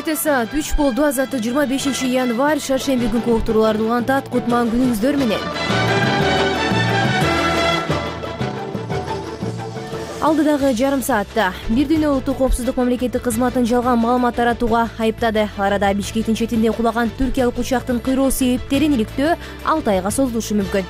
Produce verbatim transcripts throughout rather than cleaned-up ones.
Эрте саат үч болду. Азаттык жыйырма бешинчи январь шаршемби күнкү уктурууларды улантат. Кутман күнүңүздөр менен. Алдыдагы жарым саатта бир дүйнө улуттук коопсуздук мамлекеттик кызматын жалган маалымат таратууга айыптады. Арада Бишкектин четинде кулаган түркиялык учактын кыйроо себептерин иликтөө алты айга созулушу мүмкүн.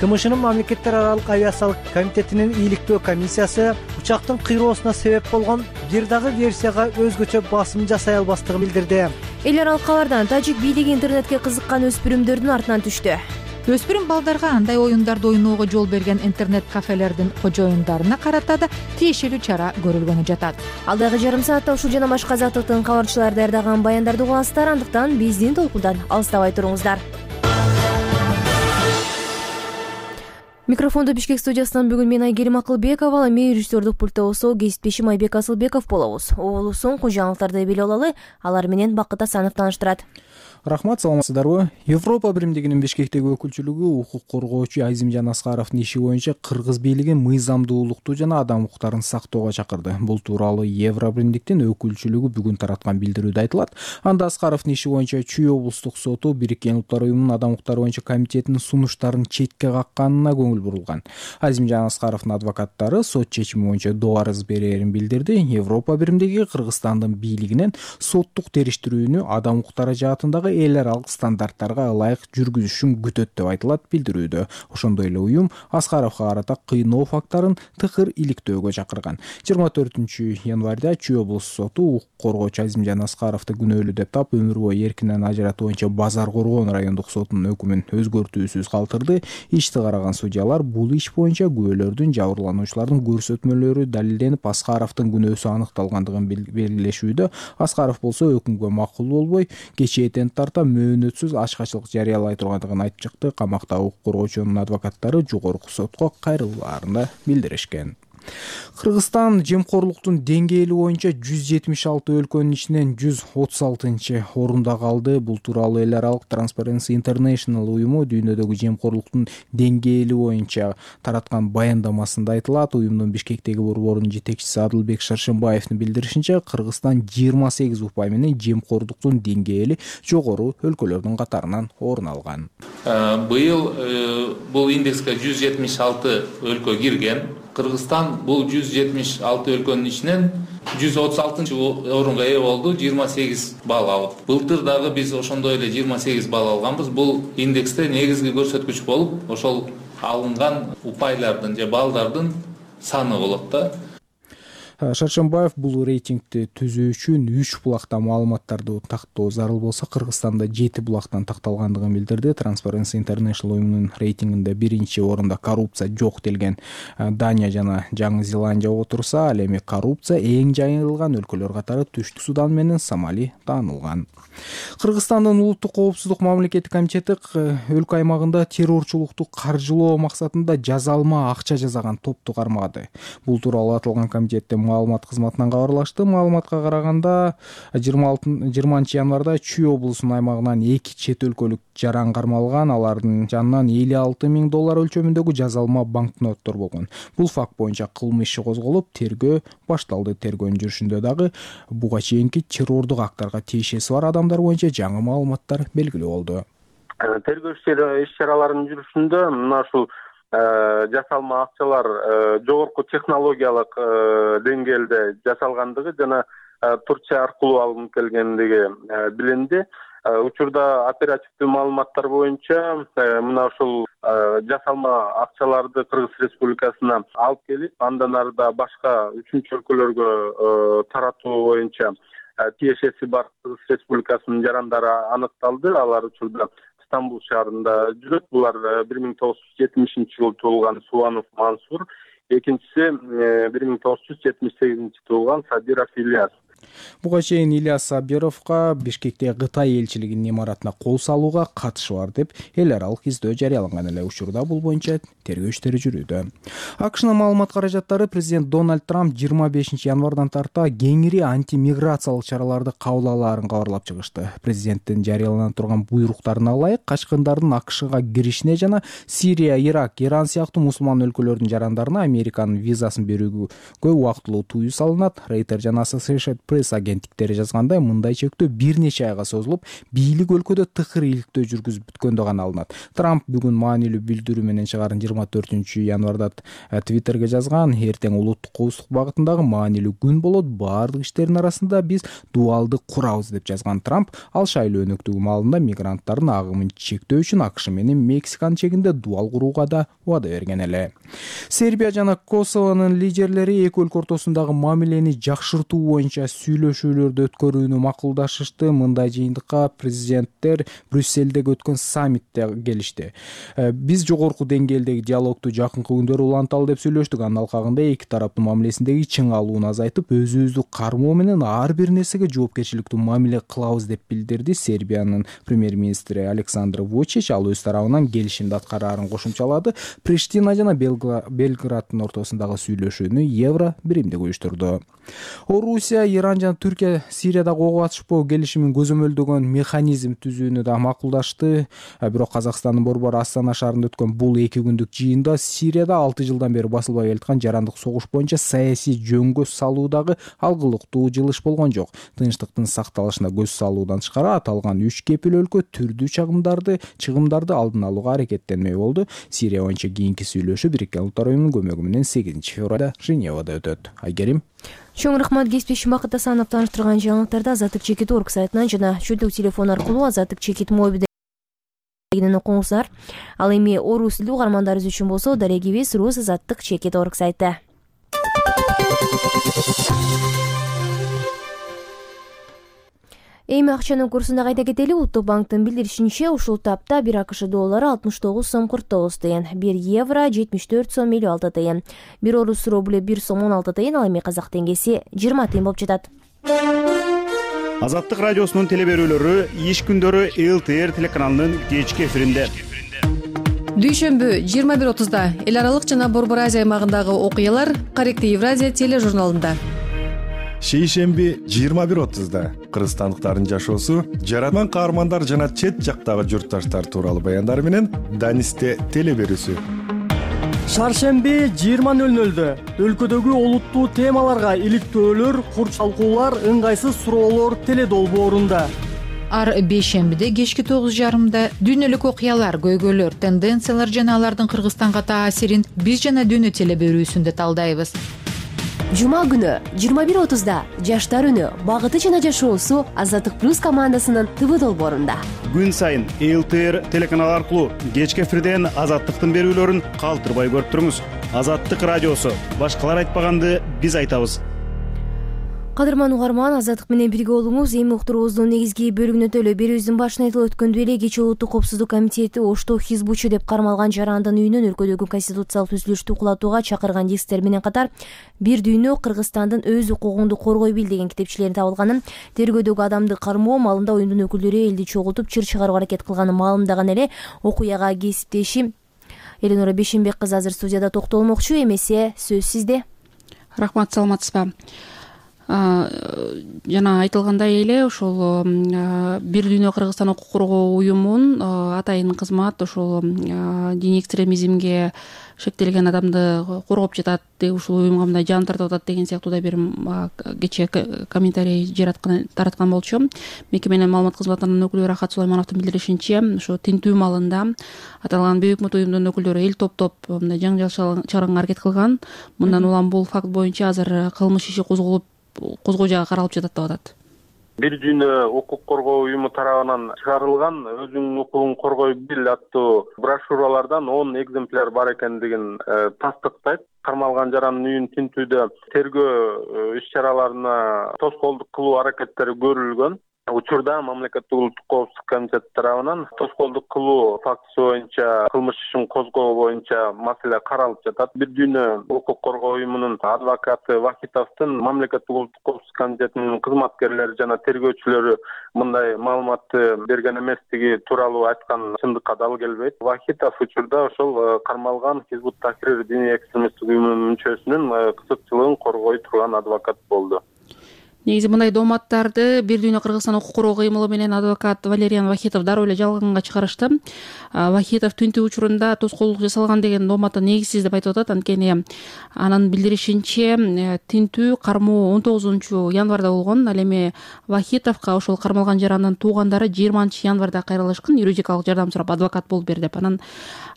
КМШнын мамлекеттер аралык авиациялык комитетинин иликтөө комиссиясы учактын кыйроосуна себеп болгон бир дагы версияга өзгөчө басым жасай албастыгын билдирди. Эл аралык кабардан тажик бийлиги интернетке кызыккан өспүрүмдөрдүн артынан түштү. Өспүрүм балдарга андай оюндарды ойноого жол берген интернет-кафелердин кожоюндарына карата да тиешелүү чара көрүлгөнү жатат. Алдагы жарым саатта ушул жана башка азаттыктын кабарчылары даярдаган баяндарды угасыздар, андыктан биздин толкундан алыстабай туруңуздар. Микрофондо Бишкек студиясынан бүгүн мен Айгерим Акылбекова, ал эми режиссердук пульттогусу кесиптешим Айбек Асылбеков болобуз. Угулуу соңку жаңылыктарды билип алалы, алар менен Бакыт Асанов тааныштырат. Рахмат, саламатсыздарбы? Европа биримдигинин Бишкектеги өкүлчүлүгү укук коргоочу Айзимжан Аскаровдун иши боюнча кыргыз бийлиги мыйзамдуулукту жана адам укуктарын сактоого чакырды. Бул тууралуу Евро биримдиктин өкүлчүлүгү бүгүн тараткан билдирүүдө айтылат. Анда Аскаровдун иши боюнча Чүй облустук соту Бириккен Улуттар уюмунун адам укуктары боюнча комитетинин сунуштарын четке какканына көңүл бурулган. Айзимжан Аскаровдун адвокаттары сот чечими боюнча доо арыз берерин билдирди. Европа биримдиги Кыргызстандын бийлигинен соттук териштирүүнү адам укуктары жаатындагы эл аралык стандарттарга ылайык жүргүзүшүн күтөт деп айтылат билдирүүдө. Ошондой эле уюм Аскаровго карата кыйноо фактарын тыкыр иликтөөгө чакырган. жыйырма төртүнчү январда Чүй облустук соту укук коргоочу Айзимжан Аскаровду күнөөлүү деп таап, өмүр бою эркинен ажыратуу боюнча Базар Коргон райондук сотунун өкүмүн өзгөртүүсүз калтырды. Ишти караган судьялар бул иш боюнча күбөлөрдүн, жабырлануучулардын көрсөтмөлөрү далилденип, Аскаровдун күнөөсү аныкталгандыгын белгилешүүдө. Аскаров болсо өкүмгө макул болбой, кечээден тарта мөөнөтсүз ачкачылык жарыялай тургандыгын айтып чыкты. Камакта укук коргоочунун адвокаттары жогорку сотко кайрылууларын билдиришкен. Кыргызстан жемкорлуктун деңгээли боюнча жүз жетимиш алты өлкөнүн ичинен жүз отуз алтынчы орунда калды. Бул тууралуу эл аралык Transparency International уюму дүйнөдөгү жемкорлуктун деңгээли боюнча тараткан баяндамасында айтылат. Уюмдун Бишкектеги борборунун жетекчиси Адылбек Шаршембаевдин билдиришинче, Кыргызстан жыйырма сегиз упай менен жемкорлуктун деңгээли жогору өлкөлөрдүн катарынан орун алган. Быйыл бул индекске жүз жетимиш алты өлкө кирген. Кыргызстан бул жүз жетимиш алты өлкөнүн ичинен жүз отуз алтынчы орунга ээ болду, жыйырма сегиз балл алып. Былтыр дагы биз ошондой эле жыйырма сегиз балл алганбыз. Бул индексте негизги көрсөткүч болуп, ошол алынган упайлардын же баллдардын саны болот да. Шаршембаев бул рейтингди түзүү үчүн үч булакта маалыматтарды тактоо зарыл болсо, Кыргызстанда жети булактан такталгандыгын билдирди. Transparency International уюмунун рейтингинде биринчи орунда коррупция жок делген Дания жана Жаңы Зеландия отурса, ал эми коррупция эң жайылган өлкөлөр катары Түштүк Судан менен Сомали таанылган. Кыргызстандын улуттук коопсуздук мамлекеттик комитети өлкө аймагында террорчулукту каржылоо максатында жазалма акча жасаган топту кармады. Бул тууралуу аталган комитеттин маалымат кызматынан кабарлашты. Маалыматка караганда жыйырманчы январда Чүй облусунун аймагынан эки чет өлкөлүк жаран кармалган. Алардын жанынан элүү алты миң доллар өлчөмүндөгү жазалма банкноттор болгон. Бул факт боюнча кылмыш иши козголуп, тергөө башталды. Тергөөнүн жүрүшүндө дагы буга чейинки террордук актарга тиешеси бар адамдар боюнча жаңы маалыматтар белгилүү болду. Тергөө иш-чараларынын жүрүшүндө мына ушул жасалма акчалар жогорку технологиялык деңгээлде жасалгандыгы жана Турция аркылуу алынып келгендиги билинди. Учурда оперативдүү маалыматтар боюнча мына ушул жасалма акчаларды Кыргыз Республикасына алып келип, андан арыда башка үчүнчү өлкөлөргө таратуу боюнча тиешеси бар Кыргыз Республикасынын жарандары аныкталды. Алар учурда Стамбул шаарында жүрөт. Булар бир миң тогуз жүз жетимишинчи жылы туулган Субанов Мансур, экинчиси бир миң тогуз жүз жетимиш сегизинчи туулган Сабиров Ильяс. Буга чейин Ильяс Сабировго Бишкекте Кытай элчилигинин имаратына кол салууга катышы бар деп эл аралык издөө жарыяланган эле. Учурда бул боюнча тергөө иштери жүрүүдө. АКШнын маалымат каражаттары президент Дональд Трамп жыйырма бешинчи январдан тарта кеңири антимиграциялык чараларды кабыл алаарын кабарлап чыгышты. Президенттин жарыялана турган буйруктарына ылайык качкындардын АКШга киришине жана Сирия, Ирак, Иран сыяктуу мусулман өлкөлөрдүн жарандарына Американын визасын берүүгө убактылуу тыюу салынат. Рейтер жана Associated пресс агенттиктери жазгандай, мындай чектөө бир нече айга созулуп, бийлик өлкөдө тыкыр иликтөө жүргүзүп бүткөндө гана алынат. Трамп бүгүн маанилүү билдирүү менен чыгарын жыйырма төртүнчү январда Twitterге жазган: "Эртең улуттук коопсуздук багытындагы маанилүү күн болот. Баардык иштердин арасында биз дуалды курабыз", деп жазган Трамп, ал шайлоо өнөктүгү маалында мигранттардын агымын чектөө үчүн АКШ менен Мексиканын чегинде дуал курууга да убада берген эле. Сербия жана Косовонун лидерлери эки өлкө ортосундагы мамилени жакшыртуу боюнча сүйлөшүүлөрдү өткөрүүнү макулдашышты. Мындай жыйынтыкка президенттер Брюссельдеги өткөн саммитте келишти. "Биз жогорку деңгээлдеги диалогду жакынкы күндөрү уланталы" деп сүйлөштүк. Анын алкагында эки тараптын мамилесиндеги чың алууну азайтып, өзүбүздү кармоо менен ар бир нерсеге жоопкерчиликтүү мамиле кылабыз деп билдирди Сербиянын премьер-министри Александр Вучич. Ал өз тарабынан келишимди аткараарын кошумчалады. Приштина жана Белграддын ортосундагы сүйлөшүүнү Евро биримдиги уюштурду. Орусия, Иран жана Түркия Сириядагы ок атышпоо келишимин көзөмөлдөгөн механизм түзүүнү да макулдашты. Бирок Казакстандын Борбор Астана шаарында өткөн бул эки күндүк жыйында Сирияда алты жылдан бери басылбай келаткан жарандык согуш боюнча саясий жөнгө салуудагы алгылыктуу жылыш болгон жок. Тынчтыктын сакталышына көз салуудан тышкары аталган үч кепил өлкө түрдүү чагымдарды чыгымдарды алдын алууга аракеттенмек болду. Сирия боюнча кийинки сүйлөшүү Бириккен Улуттар уюмунун көмөгү менен сегизинчи февралда Женевада өтөт. Айгерим. Чоң рахмат. Кеспешим Бакыт Асанов тааныштырган жаңылыктарды Азаттык чекит орг сайтынан жана чөлдүк телефон аркылуу Азаттык чекит мобилден окуңуздар. Ал эми орус тилдүү угармандарыбыз үчүн болсо дарегибиз рус азаттык чекит орг сайты. Эми акчанын курсунда кайта кетели. Улуттук банктын билдиришинче, ушул тапта бир АКШ доллары алтымыш тогуз сом кырк тогуз тыйын, бир евро жетимиш төрт сом элүү алты тыйын, бир орус рубль бир сом он алты тыйын, ал эми казак теңгеси жыйырма тыйын болуп жатат. Азаттык радиосунун теле берүүлөрү иш күндөрү ЛТР телеканалынын кечки эфиринде. Дүйшөмбү жыйырма бир отузда эл аралык жана Борбор Азия аймагындагы окуялар Корректив Евразия тележурналында. Шейшемби жыйырма бир отузда кыргызстандыктардын жашоосу, жараткан каармандар жана чет жактагы журтташтар тууралуу баяндар менен Данисте теле берүүсү. Шаршемби жыйырма нөл нөлдө өлкөдөгү олуттуу темаларга иликтөөлөр, курчалкуулар, ыңгайсыз суроолор теле долбоорунда. Ар бейшембиде кечки тогуз жарымда дүйнөлүк окуялар, көйгөйлөр, тенденциялар жана алардын Кыргызстанга таасирин биз жана дүйнө теле берүүсүндө талдайбыз. Жума күнү жыйырма бир отузда жаштар үнү, багыты жана жашоосу Азаттык плюс командасынын ТВ долбоорунда. Күн сайын ЛТР телеканалы аркылуу кечки эфирден Азаттыктын берүүлөрүн калтырбай көрүп туруңуз. Азаттык радиосу, башкалар айтпаганды биз айтабыз. Кадырман угарман, Азаттык менен бирге болуңуз. Эми уктуруубуздун негизги бөлүгүнө төлөө берүүбүздүн башында айтылып өткөндөй эле кечээ Улуттук коопсуздук комитети Ошто Хизбучу деп кармалган жарандын үйүнөн өлкөдөгү конституциялык түзүлүштү кулатууга чакырган дисктер менен катар бир дүйнө Кыргызстандын өз укугунду коргой бил деген китепчелерин табылганын, тергөөдөгү адамды кармоо маалында оюндун өкүлдөрү элди чогултуп чыр чыгарууга аракет кылганын маалымдаган эле. Окуяга кесиптеши Эленора Бешенбек кызы азыр студияда токтолмокчу. Эмесе сөз сизде. Рахмат, саламатсызбы? Жана айтылгандай эле ошол бир дүйнө Кыргызстан укук коргоо уюмунун атайын кызмат ошол диний экстремизмге шектелген адамды коргоп жатат, ушул уюмга мындай жан тартып атат деген сыяктуу да бир кечээ комментарий жараткан тараткан болчу. Мекеменин маалымат кызматынын өкүлү Рахат Сулаймановдун билдиришинче, ошо тинтүү маалында аталган бейөкмөт уюмдун өкүлдөрү эл топтоп мындай жаңжал чыгарганга аракет кылган. Мындан улам бул факт боюнча азыр кылмыш иши козголуп козгоо жагы каралып жатат деп атат. Бир дүйнө укук коргоо уюму тарабынан чыгарылган өзүңдүн укугуң коргой бил аттуу брошюралардан он экземпляр бар экендигин тастыктайт. Кармалган жарандын үйүн тинтүүдө тергөө иш чараларына тоскоолдук кылуу аракеттери көрүлгөн. Учурда мамлекеттик улуттук коопсуздук комитети тарабынан тоскоолдук кылуу фактысы боюнча кылмыш ишин козгоо боюнча маселе каралып жатат. Бир дүйнө укук коргоо уюмунун адвокаты Вахитовдун мамлекеттик улуттук коопсуздук комитетинин кызматкерлери жана тергөөчүлөрү мындай маалыматты берген эместиги тууралуу айткан чындыкка дал келбейт. Вахитов учурда ошол кармалган Хизбут Тахрир диний экстремисттик уюмунун мүчөсүнүн кызыкчылыгын коргой турган адвокат болду. негизи мындай дооматтарды Бир дүйнө Кыргызстан укук коргоо кыймылы менен адвокат Валериан Вахитов дароо эле жалганга чыгарышты. Вахитов тинтүү учурунда тоскоолдук жасалган деген дооматты негизсиз деп айтып атат. Анткени анын билдиришинче тинтүү кармоо он тогузунчу январда болгон. Ал эми Вахитовго ошол кармалган жарандын туугандары жыйырманчы январда кайрылышкан, юридикалык жардам сурап адвокат болуп бер деп. Анан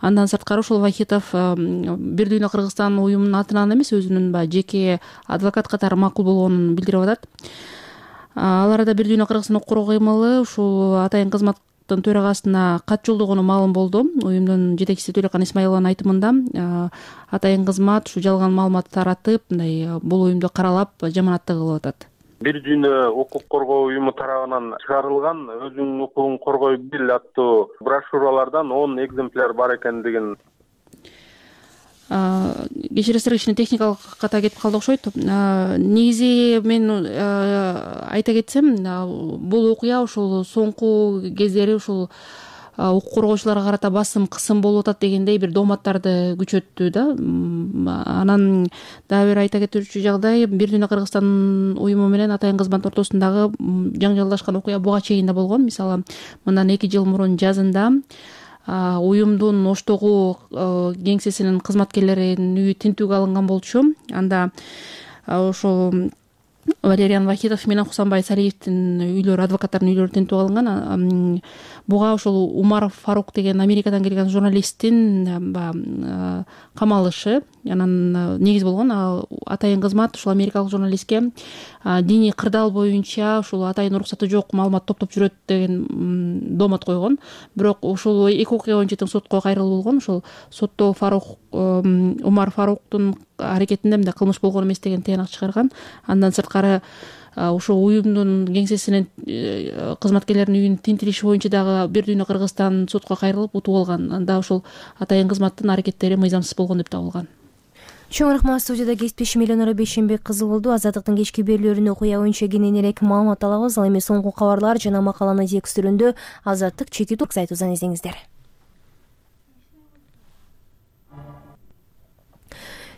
андан сырткары ошол Вахитов Бир дүйнө Кыргызстан уюмунун атынан эмес, өзүнүн баягы жеке адвокат катары макул болгонун билдирип атат. Ал арада Бир дүйнө Кыргызстан укук коргоо кыймылы ушул атайын кызматтын төрагасына кат жолдогону маалым болду. Уюмдун жетекчиси Төлөкан Исмаилованын айтымында атайын кызмат ушу жалган маалымат таратып, мындай бул уюмду каралап жаманатты кылып атат. Бир дүйнө укук коргоо уюму тарабынан чыгарылган өзүңдүн укугуң коргой бил аттуу брошюралардан он экземпляр бар экендигин. Кечиресиз, кичине техникалык ката кетип калды окшойт. Негизи мен айта кетсем, бул окуя ушул соңку кездери ушул укук коргоочуларга карата басым кысым болуп атат дегендей бир дооматтарды күчөттү да. Анан дагы бир айта кетүүчү жагдай, Бир дүйнө Кыргызстан уюму менен атайын кызмат ортосундагы жаңжалдашкан окуя буга чейин да болгон. Мисалы, мындан эки жыл мурун жазында уюмдун Оштогу кеңсесинин кызматкерлеринин үйү тинтүүгө алынган болчу. Анда ошол Валериан Вахитов менен Хусанбай Салиевдин үйлөрү, адвокаттардын үйлөрү тинтүүгө алынган. Буга ошол Умар Фарук деген Америкадан келген журналисттин камалышы анан негиз болгон. Атайын кызмат ушул америкалык журналистке диний кырдаал боюнча ушул атайын уруксаты жок маалымат топтоп жүрөт деген доомат койгон. Бирок ушул эки окуя боюнча тең сотко кайрылуу болгон. Ошол сотто Фарук Умар Фаруктун аракетинде мындай кылмыш болгон эмес деген тыянак чыгарган. Андан сырткары ушул уюмдун кеңсесинин кызматкерлеринин үйүн тинтириши боюнча дагы Бир дүйнө Кыргызстан сотко кайрылып утуп алган. Анда ошол атайын кызматтын аракеттери мыйзамсыз болгон деп табылган. Чоң рахмат. Студияда кесиптешим Эленора Бейшенбек кызы болду. Азаттыктын кечки берүүлөрүнө окуя боюнча кененирээк маалымат алабыз. Ал эми соңку кабарлар жана макаланы текстүрүндө Азаттык чети турк сайтыбыздан издеңиздер.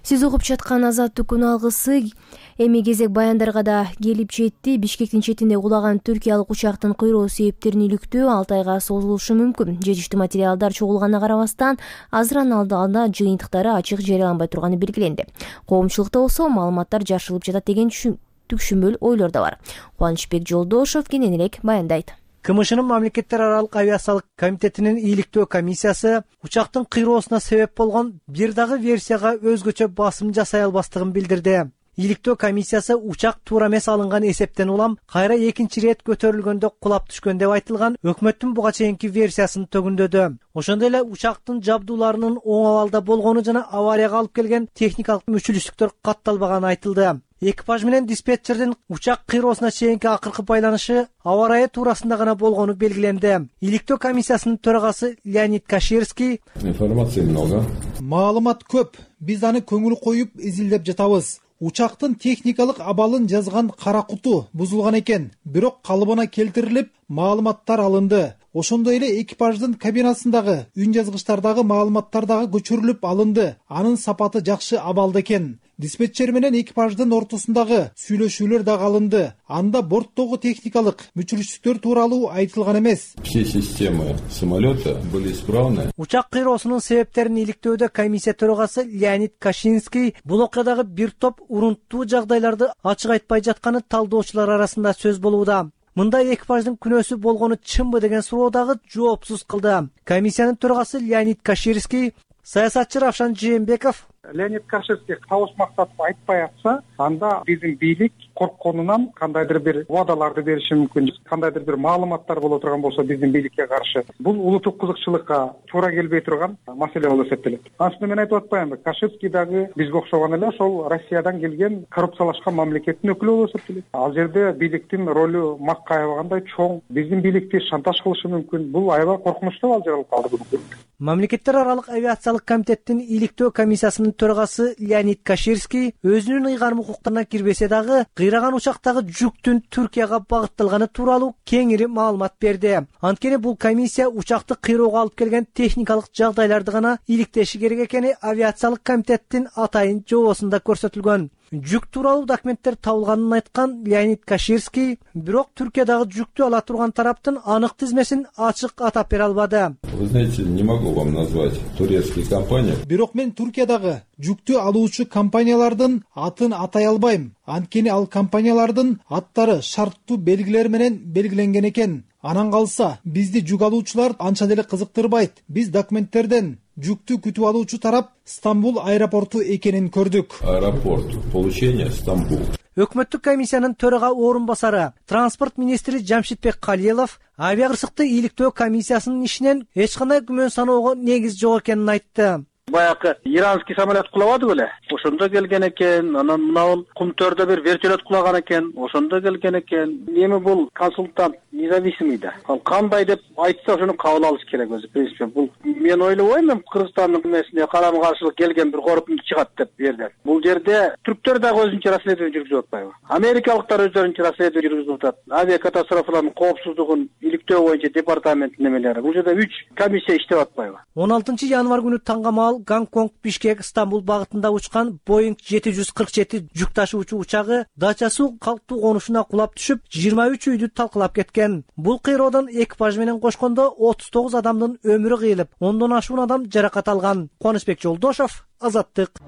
Сиз угуп жаткан Азаттык күн алгысы эми кезек баяндарга да келип жетти. Бишкектин четинде кулаган түркиялык учактын кыйроо себептерин иликтөө алты айга созулушу мүмкүн. Жетиштүү материалдар чогулганына карабастан, азырын алдында жыйынтыктары ачык жарыяланбай турганы белгиленди. Коомчулукта болсо маалыматтар жашырылып жатат деген түкшүмбөл ойлор да бар. Кубанычбек Жолдошов кененирээк баяндайт. КМШнын мамлекеттер аралык авиациялык комитетинин ийгиликтөө комиссиясы учактын кыйроосуна себеп болгон бир дагы версияга өзгөчө басым жасай албастыгын билдирди. Ийгиликтөө комиссиясы учак туура эмес алынган эсептен улам кайра экинчи ирет көтөрүлгөндө кулап түшкөн деп айтылган өкмөттүн буга чейинки версиясын төгүндөдү. Ошондой эле учактын жабдууларынын оң абалда болгону жана аварияга алып келген техникалык мүчүлүштүктөр катталбаганы айтылды. Экипаж менен диспетчердин учак кыйроосуна чейинки акыркы байланышы аба ырайы туурасында гана болгону белгиленди. Ийгиликтөө комиссиясынын төрагасы Леонид Каширский: информация много. Маалымат көп. Биз аны көңүл коюп изилдеп жатабыз. Учактын техникалык абалын жазган кара куту бузулган экен, бирок калыбына келтирилип, маалыматтар алынды. Ошондой эле экипаждын кабинасындагы үн жазгычтардагы маалыматтар дагы көчүрүлүп алынды. Анын сапаты жакшы абалда экен. Диспетчер менен экипаждын ортосундагы сүйлөшүүлөр дагы алынды. Анда борттогу техникалык мүчүлүштүктөр тууралуу айтылган эмес. Все системы самолета были исправны. Учак кыйроосунун себептерин иликтөөдө комиссия төрагасы Леонид Кашинский бул окуядагы бир топ урунттуу жагдайларды ачык айтпай жатканы талдоочулар арасында сөз болууда. Мындай экипаждын күнөөсү болгону чынбы деген суроо дагы жоопсуз кылды. Комиссиянын төрагасы Леонид Каширский: саясатчы Равшан Жээнбеков: Леонид Каширский табыш мактатып айтпай атса, анда биздин бийлик коркконунан кандайдыр бир убадаларды бериши мүмкүн, кандайдыр бир маалыматтар боло турган болсо биздин бийликке каршы, бул улуттук кызыкчылыкка туура келбей турган маселе болуп эсептелет. Анткени мен айтып атпаймынбы, Каширский дагы бизге окшогон эле ошол Россиядан келген коррупциялашкан мамлекеттин өкүлү болуп эсептелет. Ал жерде бийликтин ролу макка аябагандай чоң, биздин бийликти шантаж кылышы мүмкүн. Бул аябай коркунучтуу ал жер алып калды бүгүнкү. Мамлекеттер аралык авиациялык комитеттин ийгиликтөө комиссиясынын төрагасы Леонид Каширский өзүнүн ыйгарым укуктарына кирбесе дагы кыйраган учактагы жүктүн Түркияга багытталганы тууралуу кеңири маалымат берди. Анткени бул комиссия учакты кыйроого алып келген техникалык жагдайларды гана иликтеши керек экени авиациялык комитеттин атайын жобосунда көрсөтүлгөн. жүк тууралуу документтер табылганын айткан Леонид Каширский, бирок Түркиядагы жүктү ала турган тараптын анык тизмесин ачык атап бере албады. Вы знаете, не могу вам назвать турецкие компании. Бирок мен Түркиядагы жүктү алуучу компаниялардын атын атай албайм. Анткени ал компаниялардын аттары шарттуу белгилер менен белгиленген экен. Анан калса, бизди жүк алуучулар анча деле кызыктырбайт. Биз документтерден жүктү күтүп алуучу тарап Стамбул аэропорту экенин көрдүк. Аэропорт получения Стамбул. Өкмөттүк комиссиянын төрага орун басары, транспорт министри Жамшитбек Калиелов авиа кырсыкты ийгиликтөө комиссиясынын ишинен эч кандай күмөн саноого негиз жок экенин айтты. Баягы иранский самолет кулабады беле, ошондо келген экен, анан мынау кумтөрдө бир вертолет кулаган экен, ошондо келген экен. Эми бул консультант независимый да. Ал кандай деп айтса ошону кабыл алыш керек өзү. В принципе, бул мен ойлобойм, эми Кыргызстандын эмесине карама каршылык келген бир корутунду чыгат деп бу жерден. Бул жерде түрктөр дагы өзүнчө расследование жүргүзүп атпайбы? Америкалыктар өзлөрүнчө расследование жүргүзүп атат. Авиакатастрофалардын коопсуздугун иликтөө боюнча департаменттин немелери. Бул жерде үч комиссия иштеп атпайбы? он алтынчы январь күнү таңгамал Гонконг, Бишкек, Стамбул багытында учкан Боинг жети жүз кырк жети жүк ташуучу учагы Дача-суу калктуу конушуна кулап түшүп, жыйырма үч үйдү талкалап кеткен. Бул кыйроодон экипаж менен кошкондо отуз тогуз адамдын өмүрү кыйылып, ондон ашуун адам жаракат алган. Кубанычбек Жолдошов, Азаттык.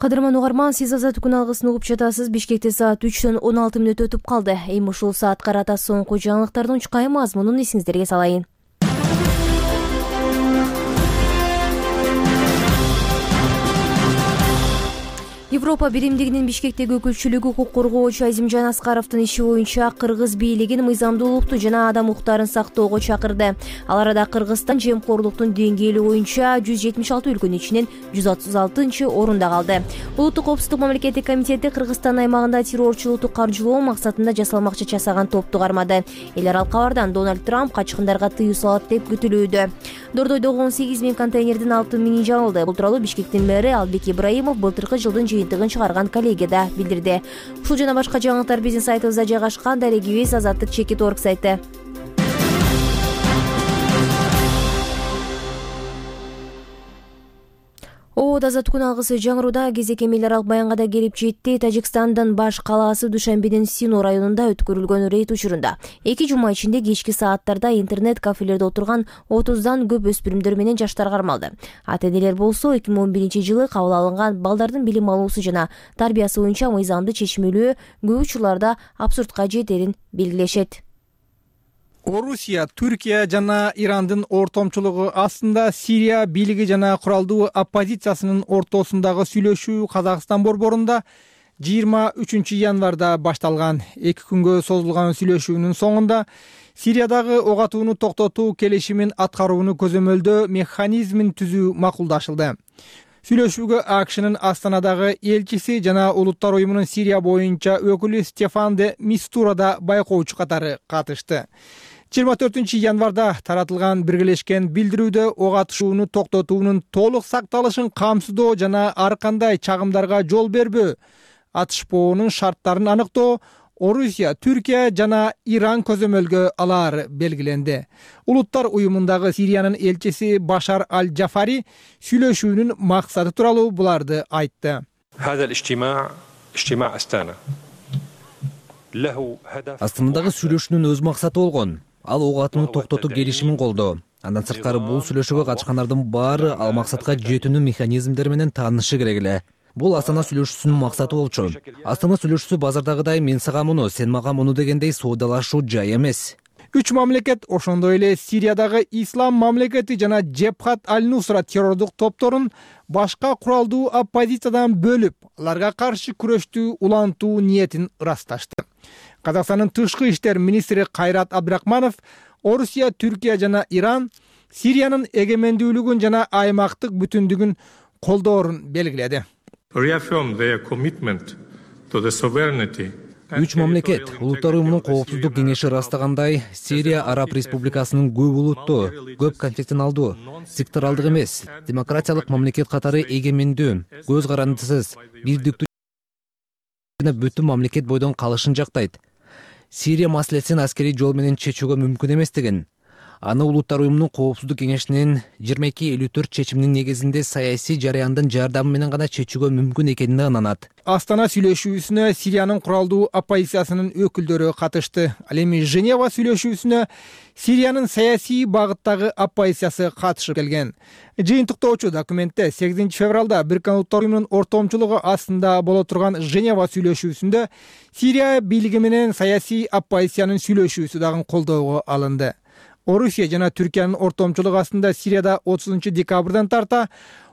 Кадырман угарман, сиз Азаттык күн алгысын угуп жатасыз. Бишкекте саат үчтөн он алты мүнөт өтүп калды. Эми ушул саат карата соңку жаңылыктардын чукай мазмунун эсиңиздерге салайын. Европа биримдигинин Бишкектеги өкүлчүлүгү укук коргоочу Азимжан Аскаровдун иши боюнча кыргыз бийлигин мыйзамдуулукту жана адам укуктарын сактоого чакырды. Ал арада Кыргызстан жемкорлуктун деңгээли боюнча жүз жетимиш алты өлкөнүн ичинен жүз отуз алтынчы орунда калды. Улуттук коопсуздук мамлекеттик комитети Кыргызстан аймагында террорчулукту каржылоо максатында жасалмакчы часаган топту кармады. Эл аралык кабардан Дональд Трамп качкындарга тыюу салат деп күтүлүүдө. Дордойдогу он сегиз миң контейнердин алтын миңи жабылды. Бул тууралуу Бишкектин мэри Албек Ибраимов былтыркы жылдын жыйынтыгын чыгарган коллегияда билдирди. Ушул жана башка жаңылыктар биздин сайтыбызда жайгашкан. Дарегибиз Азаттык чекит орг сайты. Оод Азаттык күн алгысы жаңыруда кезек эл аралык баянга да келип жетти. Тажикстандын баш калаасы Душанбенин Сино районунда өткөрүлгөн рейд учурунда эки жума ичинде кечки сааттарда интернет кафелерде отурган отуздан көп өспүрүмдөр менен жаштар кармалды. Ата-энелер болсо эки миң он биринчи жылы кабыл алынган балдардын билим алуусу жана тарбиясы боюнча мыйзамды чечмелөө көп учурларда абсурдка жетерин белгилешет. Орусия, Түркия жана Ирандын ортомчулугу астында Сирия бийлиги жана куралдуу оппозициясынын ортосундагы сүйлөшүү Казакстан борборунда жыйырма үчүнчү январда башталган. Эки күнгө созулган сүйлөшүүнүн соңунда Сириядагы ок атууну токтотуу келишимин аткарууну көзөмөлдөө механизмин түзүү макулдашылды. Сүйлөшүүгө АКШнын Астанадагы элчиси жана Улуттар уюмунун Сирия боюнча өкүлү Стефан де Мистура да байкоочу катары катышты. жыйырма төртүнчү январда таратылган биргелешкен билдирүүдө ок атышууну токтотуунун толук сакталышын камсыздоо жана ар кандай чагымдарга жол бербөө, атышпоонун шарттарын аныктоо Орусия, Түркия жана Иран көзөмөлгө алаары белгиленди. Улуттар уюмундагы Сириянын элчиси Башар Аль-Джафари сүйлөшүүнүн максаты тууралуу буларды айтты. Астанадагы сүйлөшүүнүн өз максаты болгон. Ал ок атууну токтотуу келишимин колдоо. Андан сырткары бул сүйлөшүүгө катышкандардын баары ал максатка жетүүнүн механизмдери менен таанышы керек эле. Бул Астана сүйлөшүүсүнүн максаты болчу. Астана сүйлөшүүсү базардагыдай мен сага муну, сен мага муну дегендей соодалашуу жай эмес. Үч мамлекет ошондой эле Сириядагы Ислам мамлекети жана Джебхат аль-Нусра террордук топторун башка куралдуу оппозициядан бөлүп, аларга каршы күрөштүү улантуу ниетин ырасташты. Казакстандын тышкы иштер министри Кайрат Абдрахманов Орусия, Түркия жана Иран Сириянын эгемендүүлүгүн жана аймактык бүтүндүгүн колдоорун белгиледи. Үч мамлекет Улуттар уюмунун коопсуздук кеңеши ырастагандай, Сирия Араб Республикасынын көп улуттуу, көп конфессионалдуу, секторалдык эмес, демократиялык мамлекет катары эгемендүү, көз карандысыз, бирдиктүү жана бүтүн мамлекет бойдон калышын жактайт. Сирия маселесин аскерий жол менен чечүүгө мүмкүн эместигин, аны улуттар уюмунун коопсуздук кеңешинин жыйырма эки элүү төрт чечиминин негизинде саясий жараяндын жардамы менен гана чечүүгө мүмкүн экенине ынанат. Астана сүйлөшүүсүнө Сириянын куралдуу оппозициясынын өкүлдөрү катышты. Ал эми Женева сүйлөшүүсүнө Сириянын саясий багыттагы оппозициясы катышып келген. Жыйынтыктоочу документте сегизинчи февралда Бириккен Улуттар уюмунун ортомчулугу астында боло турган Женева сүйлөшүүсүндө Сирия бийлиги менен саясий оппозициянын сүйлөшүүсү дагы колдоого алынды. Орусия жана Түркиянын ортомчулугу астында Сирияда отузунчу декабрдан тарта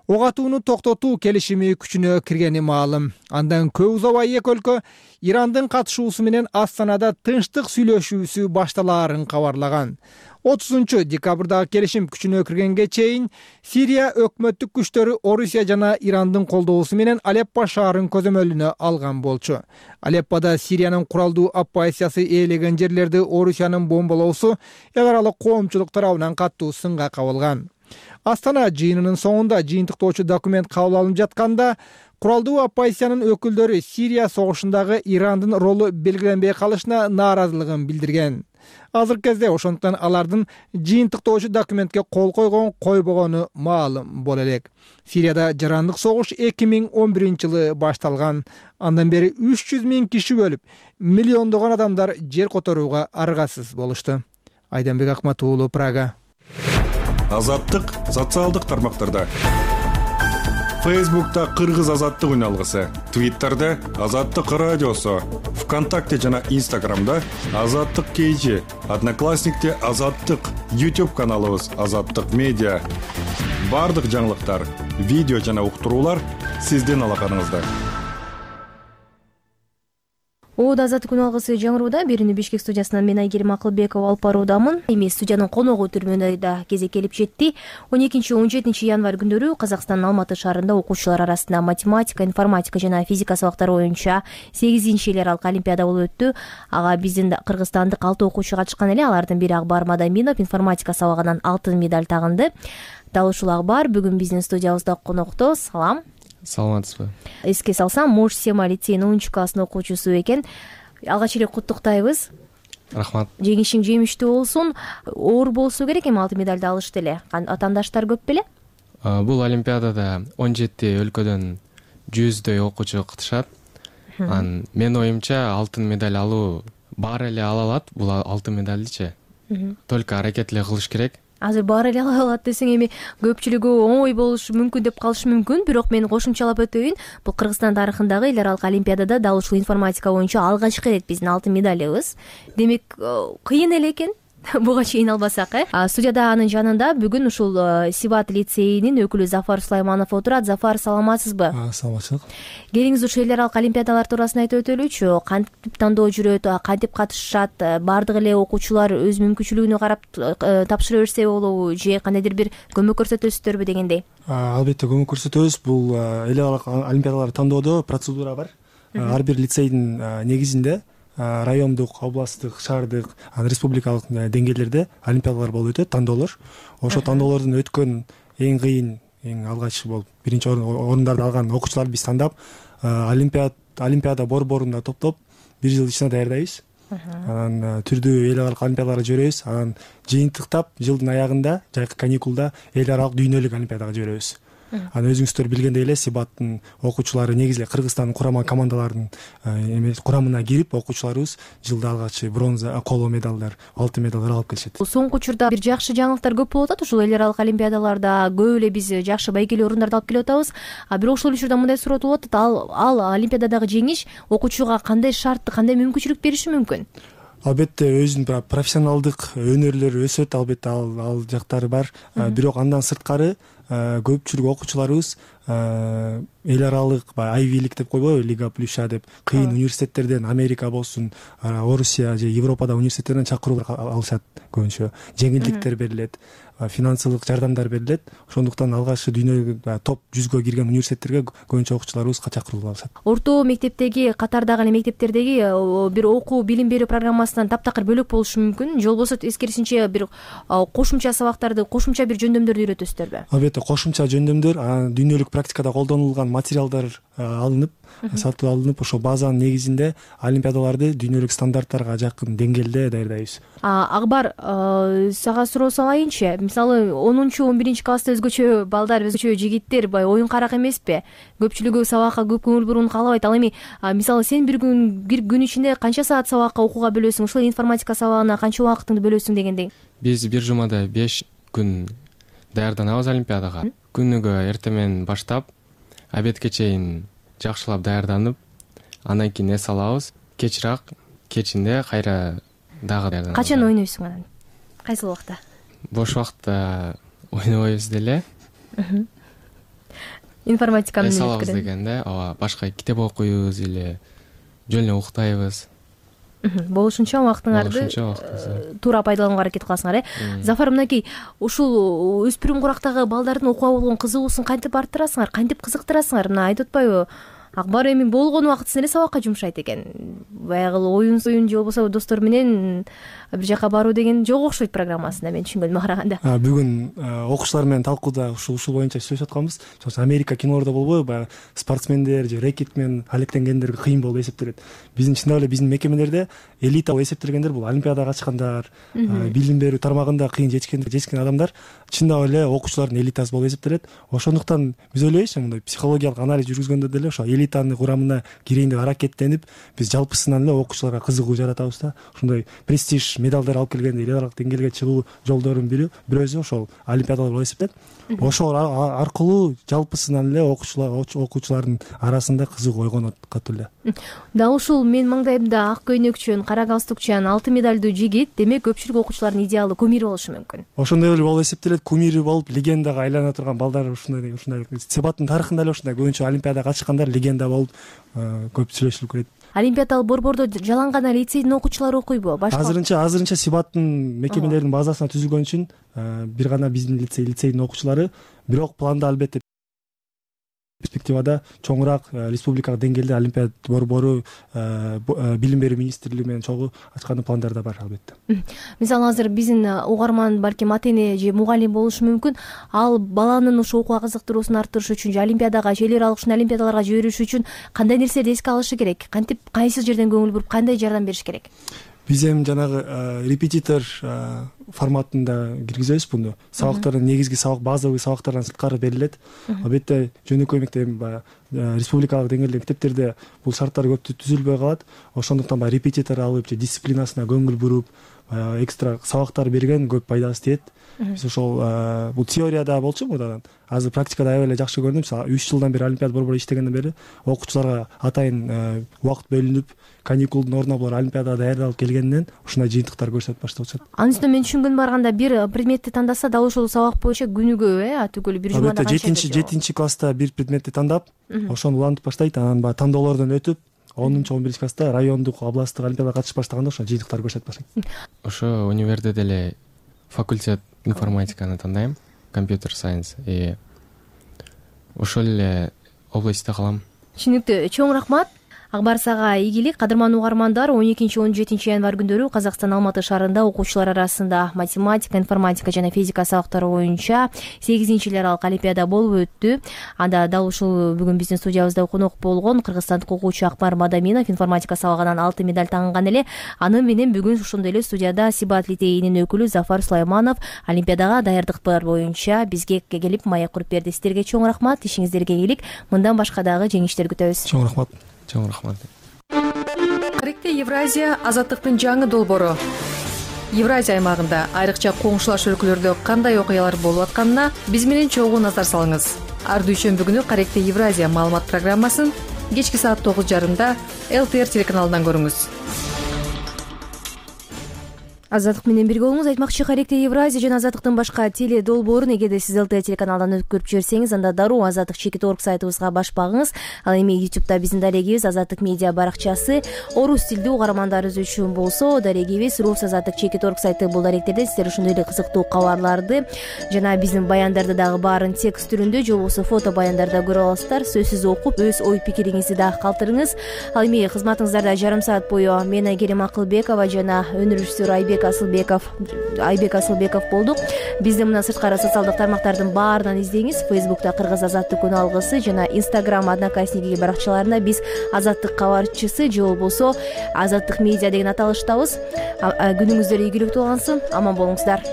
ок атууну токтотуу келишими күчүнө киргени маалым. Андан көп узабай эки өлкө Ирандын катышуусу менен Астанада тынчтык сүйлөшүүсү башталаарын кабарлаган. отузунчу декабрдагы келишим күчүнө киргенге чейин Сирия өкмөттүк күчтөрү Орусия жана Ирандын колдоосу менен Алеппо шаарын көзөмөлүнө алган болчу. Алеппода Сириянын куралдуу оппозициясы ээлеген жерлерди Орусиянын бомбалоосу эл аралык коомчулук тарабынан катуу сынга кабылган. Астана жыйынынын соңунда жыйынтыктоочу документ кабыл алынып жатканда куралдуу оппозициянын өкүлдөрү Сирия согушундагы Ирандын ролу белгиленбей калышына нааразылыгын билдирген. Азыркы кезде ошондуктан алардын жыйынтыктоочу документке кол койгон койбогону маалым боло элек. Сирияда жарандык согуш эки миң он биринчи жылы башталган. Андан бери үч жүз миң киши өлүп, миллиондогон адамдар жер которууга аргасыз болушту. Айданбек Акмат уулу, Прага. Азаттык социалдык тармактарда. Фейсбукта Кыргыз азаттык үналгысы, Твиттерде Азаттык радиосу, ВКонтакте жана Инстаграмда Азаттык кейжи, Одноклассникте Азаттык, YouTube каналыбыз Азаттык медиа. Бардык жаңылыктар, видео жана уктуруулар сиздин алаканыңызда. Оода азаттык үналгысы жаңырууда. Бирини Бишкек студиясынан мен Айгерим Акылбекова алып баруудамын. Эми студиянын коногу түрмөдө да кезек келип жетти. он экинчи он жетинчи январь күндөрү Казакстандын Алматы шаарында окуучулар арасында математика, информатика жана физика сабактары боюнча сегизинчи эл аралык олимпиада болуп өттү. Ага биздин кыргызстандык алты окуучу катышкан эле. Алардын бири Акбар Мадаминов информатика сабагынан алтын медаль тагынды. Дал ушул Акбар бүгүн биздин студиябызда конокто. Салам. Саламатсызбы. Эске салсам, Мош Сема лицейинин онунчу класстын окуучусу экен. Алгач эле куттуктайбыз. Рахмат. Жеңишиң жемиштүү болсун. Оор болсо керек эми алтын медальды алышты эле. Атаандаштар көп беле? Бул олимпиадада он жети өлкөдөн жүздөй окуучу катышат. Анан менин оюмча алтын медаль алуу баары эле ала алат. Бул алтын медальдычы. Только аракет эле кылыш керек. Азыр баары эле ала алат десең, эми көпчүлүгү оңой болушу мүмкүн деп калышы мүмкүн. Бирок мен кошумчалап өтөйүн. Бул Кыргызстан тарыхындагы эл аралык олимпиадада дал ушул информатика боюнча алгачкы рет биздин алтын медалыбыз. Демек, кыйын эле экен. Буга чейин албасак, э? Студияда анын жанында бүгүн ушул Сибат лицейинин өкүлү Зафар Сулайманов отурат. Зафар, саламатсызбы? Саламатчылык. Келиңиз ушул эл аралык олимпиадалар туурасында айтып өтөлүчү. Кантип тандоо жүрөт, кантип катышышат, бардык эле окуучулар өз мүмкүнчүлүгүнө карап тапшыра берсе болобу, же кандайдыр бир көмөк көрсөтөсүздөрбү дегендей? Албетте көмөк көрсөтөбүз. Бул эл аралык олимпиадалар тандоодо процедура бар. Ар бир лицейдин негизинде райондук, областтык, шаардык, республикалык деңгээлдерде олимпиадалар болуп өтөт, тандоолор. Ошо тандоолордун өткөн эң кыйын, эң алгач болуп биринчи орундарды алган окуучуларды биз тандап, олимпиада олимпиада борборунда топтоп бир жыл ичинде даярдайбыз. Анан түрдүү эл аралык олимпиадаларга жиберебиз. Анан жыйынтыктап жылдын аягында, жайкы каникулда эл аралык дүйнөлүк олимпиадага жиберебиз. Анан өзүңүздөр билгендей эле Сибаттын окуучулары негизи эле Кыргызстандын курама командаларынын курамына кирип, окуучуларыбыз жылда алгач бронза, коло медалдар, алтын медалдар алып келишет. Соңку учурда бир жакшы жаңылыктар көп болуп атат. Ушул эл аралык олимпиадаларда көп эле биз жакшы байгелүү орундарды алып келип атабыз. А бирок ошол учурда мындай суроо туулуп атат. Ал ал олимпиададагы жеңиш окуучуга кандай шартты, кандай мүмкүнчүлүк бериши мүмкүн? Албетте өзүнүн профессионалдык өнөрлөрү өсөт, албетте ал ал жактары бар. Бирок андан сырткары көпчүлүк окуучуларыбыз эл аралык айвилик деп койбойбу, Лига Плюща деп кыйын университеттерден, Америка болсун, Орусия же Европада университеттерден чакыруу алышат көбүнчө. Жеңилдиктер берилет, финансылык жардамдар берилет. Ошондуктан алгачкы дүйнөгө топ жүзгө кирген университеттерге көбүнчө окуучуларыбыз чакырылып алышат. Орто мектептеги, катардагы эле мектептердеги бир окуу билим берүү программасынан таптакыр бөлөк болушу мүмкүн. Жол болсо эскерисинче бир кошумча сабактарды, кошумча бир жөндөмдөрдү үйрөтөсүздөрбү? Албетте кошумча жөндөмдөр, дүйнөлүк практикада колдонулган материалдар алынып сатып алынып ошол базанын негизинде олимпиадаларды дүйнөлүк стандарттарга жакын деңгээлде даярдайбыз. Акбар, сага суроо салайынчы. Мисалы онунчу он биринчи класста өзгөчө балдар, өзгөчө жигиттер бай оюн карак эмеспи? Көпчүлүгү сабакка көп көңүл буруууну каалабайт. Ал эми мисалы сен бир күн бир күн ичинде канча саат сабакка окууга бөлөсүң? Ушул информатика сабагына канча убактыңды бөлөсүң дегендей? Биз бир жумада беш күн даярданабыз олимпиадага. Күнүгө эртең менен баштап обедке чейин жакшылап даярданып, андан кийин эс алабыз. Кечирээк кечинде кайра дагы даярданабыз. Качан ойнойсуң анан? Кайсыл убакта? Бош убакта ойнобойбуз деле. Информатиканы эс алабыз дегенде, ооба, башка китеп окуйбуз или жөн эле уктайбыз. Болушунча убактыңарды туура пайдаланууга аракет кыласыңар, э? Зафар, мынакей ушул өспүрүм курактагы балдардын окууга болгон кызыгуусун кантип арттырасыңар, кантип кызыктырасыңар? Мына айтып атпайбы? Акбар эми болгон убактысын эле сабакка жумшайт экен. Баягы оюн союн же болбосо достор менен бир жака баруу деген жок окшойт программасында, мен түшүнгөнүмө караганда. Бүгүн окуучулар менен талкууда ушул ушул боюнча сүйлөшүп атканбыз. Америка кинолордо болбойбу, баягы спортсмендер же рекет менен алектенгендерге кыйын болуп эсептелет. Биздин чындап эле биздин мекемелерде элита болуп эсептелгендер бул олимпиадага качкандар, билим берүү тармагында кыйын жетишкен жетишкен адамдар чындап эле окуучулардын элитасы болуп эсептелет. Ошондуктан биз ойлойбуз, мындай психологиялык анализ жүргүзгөндө деле ошо элитанын курамына кирейин деп аракеттенип, биз жалпысынан эле окуучуларга кызыгуу жаратабыз да. Ушундай престиж медалдар алып келгенде эл аралык деңгээлге чыгуу жолдорунун бири бирөөсү ошол олимпиадалар болуп эсептелет. Ошол аркылуу жалпысынан эле окуучулар окуучулардын арасында кызыгуу ойгонот катуу эле. Дал ушул мен маңдайымда ак көйнөкчөн, кара галстукчан, алтын медалдуу жигит, демек көпчүлүк окуучулардын идеалдуу кумири болушу мүмкүн. Ошондой эле болуп эсептелет. Кумири болуп легендага айлана турган балдар ушундай ушундай Себаттын тарыхында эле ушундай көбүнчө олимпиадага катышкандар легенда болуп көп сүйлөшүлүп келет. Олимпиадалык борбордо жалаң гана лицейдин окуучулары окуйбу? Башка азырынча азырынча Себаттын мекемелеринин базасына түзүлгөн үчүн бир гана биздин лицей лицейдин окуучулары, бирок планда албетте перспективада чоңураак республикалык деңгээлде олимпиада борбору билим берүү министрлиги менен чогуу ачкандын пландарда бар албетте. Мисалы азыр биздин угарман балким ата эне же мугалим болушу мүмкүн. Ал баланын ушу окууга кызыктыруусун арттырыш үчүн же олимпиадага же эл аралык ушундай олимпиадаларга жибериш үчүн кандай нерселерди эске алышы керек? Кантип, кайсы жерден көңүл буруп, кандай жардам бериш керек? Биз эми жанагы репетитор форматында киргизебиз буну. Сабактардын негизги сабак, базовый сабактардан сырткары берилет. Албетте жөнөкөй мектеп баягы республикалык деңгээлдеги мектептерде бул шарттар көп түзүлбөй калат. Ошондуктан баягы репетитор алып же дисциплинасына көңүл буруп, экстра сабактар берген көп пайдасы тиет. Биз ошол бул теорияда болчу мурдадан. Азыр практикада аябай эле жакшы көрдүм. үч жылдан бери олимпиада борбору иштегенден бери окуучуларга атайын убакыт бөлүнүп, каникулдун ордуна булар олимпиадага даярдалып келгенден ушундай жыйынтыктар көрсөтүп башташат. Анын үстүнө мен түшүнгөнүмө барганда бир предметти тандаса дал ошол сабак боюнча күнүгө, э, түгүл бир жумада канча? жетинчи жетинчи класста бир предметти тандап, ошону улантып баштайт, анан баягы тандоолордон өтүп, онунчу он биринчи класста райондук, областтык олимпиадага катышып баштаганда ошо жыйынтыктар көрсөтүп баштайт. Ошо универде деле факультет информатиканы тандайм, компьютер сайенс, и ошол эле областьта калам. Түшүнүктүү. Чоң рахмат. Акбар сага ийгилик. Кадырман угармандар, он экинчи он жетинчи январь күндөрү Казакстан Алматы шаарында окуучулар арасында математика, информатика жана физика сабактары боюнча сегизинчи эл аралык олимпиада болуп өттү. Анда дал ушул бүгүн биздин студиябызда конок болгон кыргызстандык окуучу Акбар Мадаминов информатика сабагынан алтын медаль таңган эле. Аны менен бүгүн ошондой эле студияда Сибат лицейинин өкүлү Зафар Сулайманов олимпиадага даярдыктар боюнча бизге келип маек куруп берди. Сиздерге чоң рахмат. Ишиңиздерге ийгилик. Мындан башка дагы жеңиштер күтөбүз. Чоң рахмат. Чоң рахмат. Каректе Евразия азаттыктын жаңы долбоору. Евразия аймагында айрыкча коңшулаш өлкөлөрдө кандай окуялар болуп атканына биз менен чогуу назар салыңыз. Ар дүйшөмбү күнү Каректе Евразия маалымат программасын кечки саат тогуз жарымда эл тэ эр телеканалынан көрүңүз. Азаттык менен бирге болуңуз. Айтмакчы, Каректе Евразия жана Азаттыктын башка теле долбоорун эгерде сиз эл тэ эр телеканалдан көрүп жиберсеңиз, анда дароо Азаттык чекит орг сайтыбызга баш багыңыз. Ал эми ютубта биздин дарегибиз Азаттык медиа баракчасы, орус тилдүү угармандарыбыз үчүн болсо дарегибиз рус Азаттык чекит орг сайты. Бул даректерде сиздер ушундай эле кызыктуу кабарларды жана биздин баяндарды дагы баарын текст түрүндө же болбосо фото баяндарда көрө аласыздар. Сөзсүз окуп, өз ой пикириңизди дагы калтырыңыз. Ал эми кызматыңыздарда жарым саат бою мен Айгерим Акылбекова жана өнөр режиссеру Айбек айбек асылбеков айбек асылбеков болдук. Бизди мына сырткары социалдык тармактардын баарынан издеңиз. Фейсбукта Кыргыз Азаттык күн алгысы жана Instagram Одноклассники баракчаларында биз Азаттык кабарчысы же болбосо Азаттык медиа деген аталыштабыз. Күнүңүздөр ийгиликтүү болсун. Аман болуңуздар.